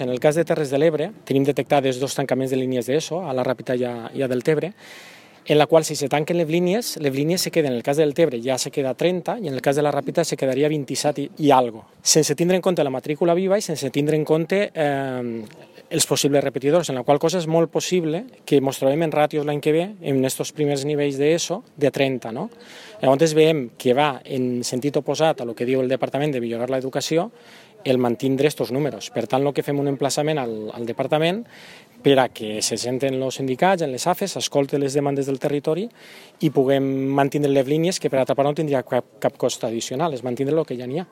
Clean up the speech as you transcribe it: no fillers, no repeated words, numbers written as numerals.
En el cas de Terres de l'Ebre tenim detectades 2 tancaments de línies d'ESO, a la Ràpita i a Deltebre, en la qual si se tanquen les línies se queden, en el cas del Tebre ja se queda 30 i en el cas de la Ràpita se quedaria 27 i algo, sense tindre en compte la matrícula viva i sense tindre en compte els possibles repetidors, en la qual cosa és molt possible que ens trobem en ràtios l'any que ve, en aquests primers nivells d'ESO, de 30. No? Llavors veiem que va en sentit oposat a el que diu el Departament de millorar l'educació el mantindre aquests números. Per tant, el que fem un emplaçament al Departament per a que se senten els sindicats, en les AFES, escolten les demandes del territori i puguem mantindre les línies que per altra part no tindria cap cost addicional, és mantindre el que ja n'hi ha.